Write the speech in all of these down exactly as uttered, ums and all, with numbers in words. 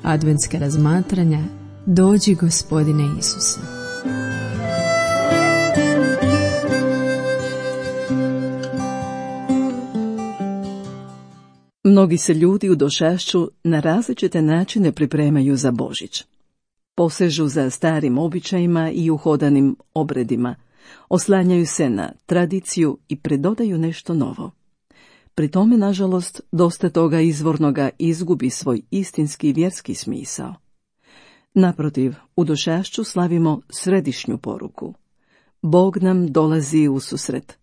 adventska razmatranja Dođi Gospodine Isuse. Mnogi se ljudi u došašću na različite načine pripremaju za Božić. Posežu za starim običajima i uhodanim obredima, oslanjaju se na tradiciju i pridodaju nešto novo. Pri tome, nažalost, dosta toga izvornoga izgubi svoj istinski vjerski smisao. Naprotiv, u došašću slavimo središnju poruku. Bog nam dolazi u susret.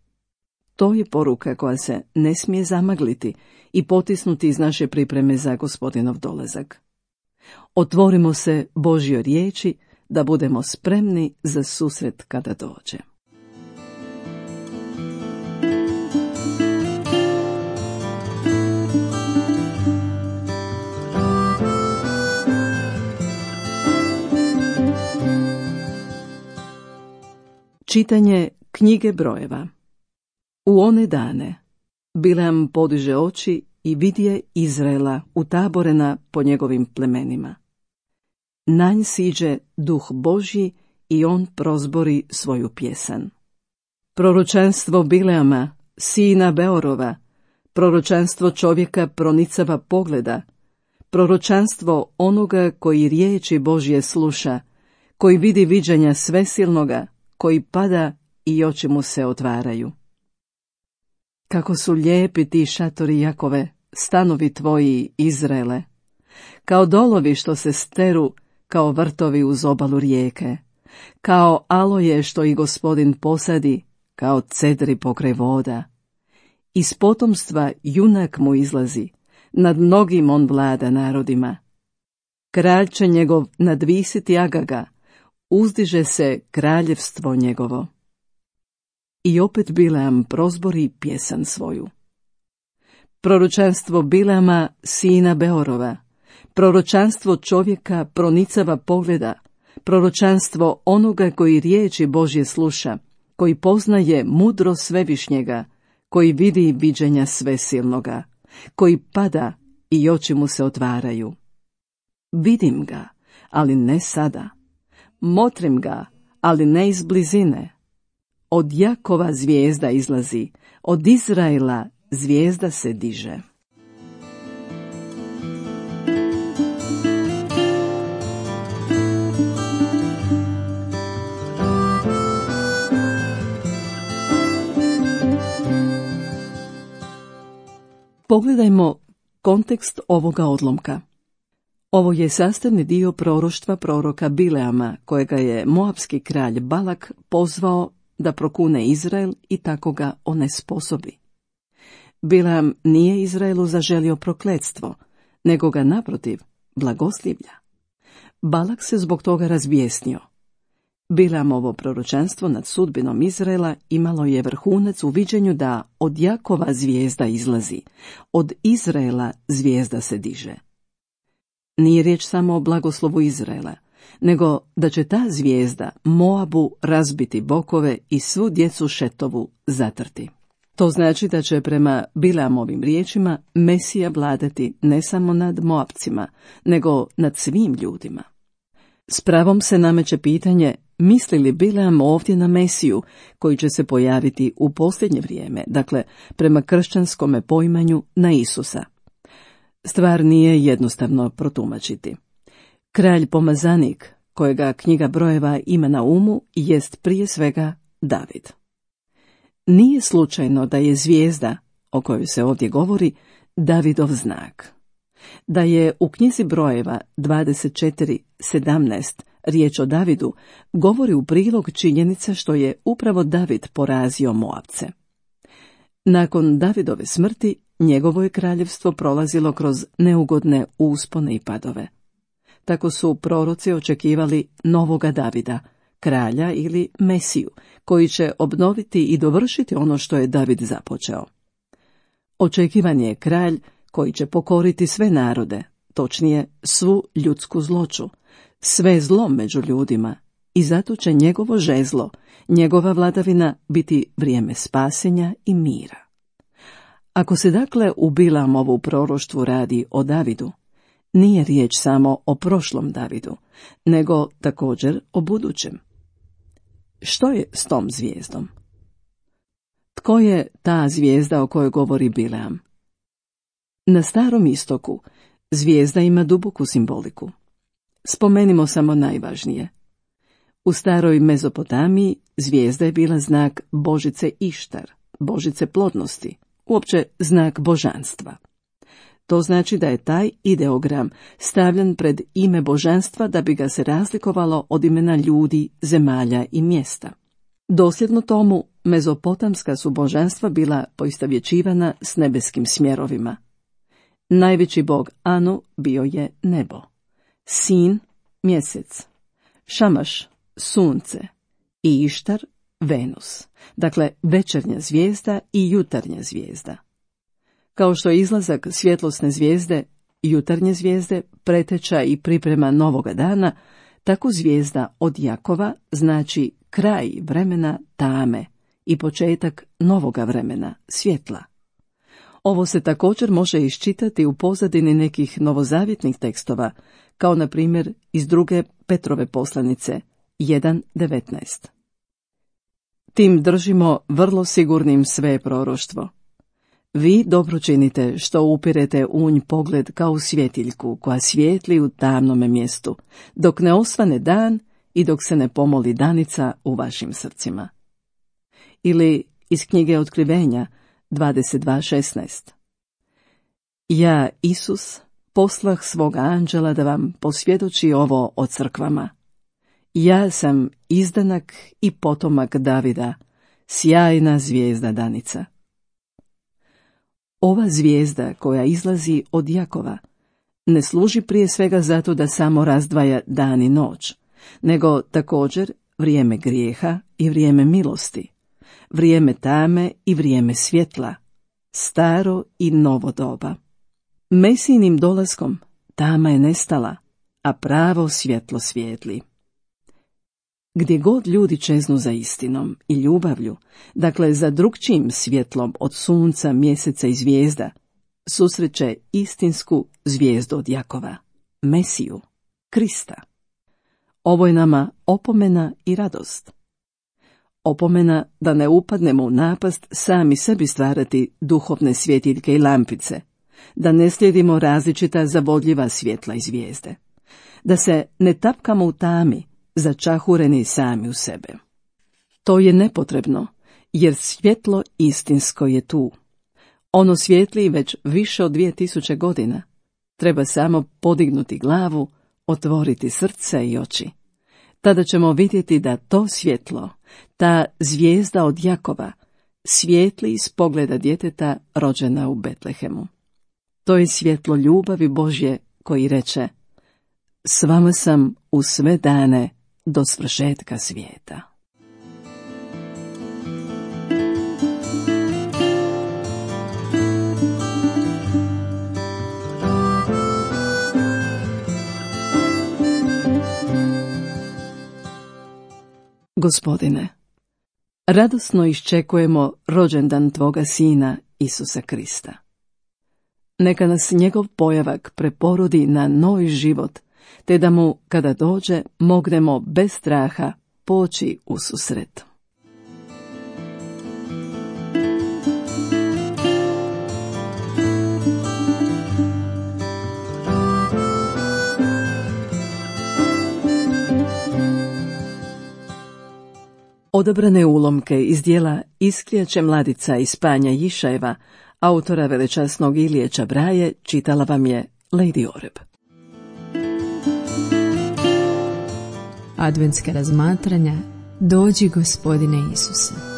To je poruka koja se ne smije zamagliti i potisnuti iz naše pripreme za Gospodinov dolazak. Otvorimo se Božjoj riječi da budemo spremni za susret kada dođe. Čitanje knjige brojeva. U one dane Bileam podiže oči i vidje Izraela utaborena po njegovim plemenima. Na nj siđe duh Božji i on prozbori svoju pjesan. Proročanstvo Bileama, sina Beorova, proročanstvo čovjeka pronicava pogleda, proročanstvo onoga koji riječi Božje sluša, koji vidi viđanja svesilnoga, koji pada i oči mu se otvaraju. Kako su lijepi ti šatori Jakove, stanovi tvoji, Izraele, kao dolovi što se steru, kao vrtovi uz obalu rijeke, kao aloje što i Gospodin posadi, kao cedri pokraj voda. Iz potomstva junak mu izlazi, nad mnogim on vlada narodima. Kralj će njegov nadvisiti Agaga, uzdiže se kraljevstvo njegovo. I opet Bileam prozbori pjesan svoju. Proročanstvo Bileama, sina Beorova, proročanstvo čovjeka pronicava pogleda, proročanstvo onoga koji riječi Božje sluša, koji poznaje mudro svevišnjega, koji vidi viđenja svesilnoga, koji pada i oči mu se otvaraju. Vidim ga, ali ne sada. Motrim ga, ali ne iz blizine. Od Jakova zvijezda izlazi, od Izraela zvijezda se diže. Pogledajmo kontekst ovoga odlomka. Ovo je sastavni dio proroštva proroka Bileama, kojega je moabski kralj Balak pozvao da prokune Izrael i tako ga onesposobi. Bileam nije Izraelu zaželio prokletstvo, nego ga naprotiv blagoslivlja. Balak se zbog toga razbijesnio. Bileamovo proročanstvo nad sudbinom Izraela imalo je vrhunac u viđenju da od Jakova zvijezda izlazi, od Izraela zvijezda se diže. Nije riječ samo o blagoslovu Izraela, nego da će ta zvijezda Moabu razbiti bokove i svu djecu Šetovu zatrti. To znači da će prema Bileamovim riječima Mesija vladati ne samo nad Moabcima, nego nad svim ljudima. S pravom se nameće pitanje, misli li Bileam ovdje na Mesiju, koji će se pojaviti u posljednje vrijeme, dakle prema kršćanskome poimanju na Isusa. Stvar nije jednostavno protumačiti. Kralj pomazanik, kojega knjiga brojeva ima na umu, jest prije svega David. Nije slučajno da je zvijezda, o kojoj se ovdje govori, Davidov znak. Da je u knjizi brojeva dvadeset četiri sedamnaest riječ o Davidu, govori u prilog činjenica što je upravo David porazio Moabce. Nakon Davidove smrti, njegovo je kraljevstvo prolazilo kroz neugodne uspone i padove. Tako su proroci očekivali novoga Davida, kralja ili Mesiju, koji će obnoviti i dovršiti ono što je David započeo. Očekivan je kralj koji će pokoriti sve narode, točnije svu ljudsku zloću, sve zlo među ljudima, i zato će njegovo žezlo, njegova vladavina biti vrijeme spasenja i mira. Ako se dakle u Bileamovu proroštvu radi o Davidu, nije riječ samo o prošlom Davidu, nego također o budućem. Što je s tom zvijezdom? Tko je ta zvijezda o kojoj govori Bileam? Na Starom istoku zvijezda ima duboku simboliku. Spomenimo samo najvažnije. U staroj Mezopotamiji zvijezda je bila znak božice Ištar, božice plodnosti, uopće znak božanstva. To znači da je taj ideogram stavljen pred ime božanstva da bi ga se razlikovalo od imena ljudi, zemalja i mjesta. Dosljedno tomu, mezopotamska su božanstva bila poistovjećivana s nebeskim smjerovima. Najveći bog Anu bio je nebo, Sin mjesec, Šamaš sunce i Ištar Venus, dakle večernja zvijezda i jutarnja zvijezda. Kao što je izlazak svjetlosne zvijezde, jutarnje zvijezde, preteča i priprema novoga dana, tako zvijezda od Jakova znači kraj vremena tame i početak novoga vremena, svjetla. Ovo se također može iščitati u pozadini nekih novozavjetnih tekstova, kao na primjer iz druge Petrove poslanice, jedan devetnaest. Tim držimo vrlo sigurnim sve proroštvo. Vi dobro činite što upirete u nj pogled kao u svjetiljku koja svijetli u tamnome mjestu, dok ne osvane dan i dok se ne pomoli danica u vašim srcima. Ili iz knjige Otkrivenja dvadeset dva šesnaest. Ja, Isus, poslah svoga anđela da vam posvjedoči ovo o crkvama. Ja sam izdanak i potomak Davida, sjajna zvijezda danica. Ova zvijezda koja izlazi od Jakova ne služi prije svega zato da samo razdvaja dan i noć, nego također vrijeme grijeha i vrijeme milosti, vrijeme tame i vrijeme svjetla, staro i novo doba. Mesijinim dolaskom tama je nestala, a pravo svjetlo svijetli. Gdje god ljudi čeznu za istinom i ljubavlju, dakle za drugčijim svjetlom od sunca, mjeseca i zvijezda, susreće istinsku zvijezdu od Jakova, Mesiju, Krista. Ovo je nama opomena i radost. Opomena da ne upadnemo u napast sami sebi stvarati duhovne svjetiljke i lampice, da ne slijedimo različita zavodljiva svjetla i zvijezde, da se ne tapkamo u tami, začahureni sami u sebe. To je nepotrebno, jer svjetlo istinsko je tu. Ono svijetli već više od dvije tisuće godina. Treba samo podignuti glavu, otvoriti srce i oči. Tada ćemo vidjeti da to svjetlo, ta zvijezda od Jakova, svijetli iz pogleda djeteta rođena u Betlehemu. To je svjetlo ljubavi Božje koji reče: s vama sam u sve dane do svršetka svijeta. Gospodine, radosno iščekujemo rođendan Tvoga Sina Isusa Krista. Neka nas njegov pojavak preporodi na novi život, te da mu, kada dođe, mognemo bez straha poći u susret. Odabrane ulomke iz djela Iskrijače mladica iz Panja Jišajeva, autora velečasnog Ilije Čabraje, čitala vam je Lady Oreb. Adventska razmatranja Dođi Gospodine Isuse.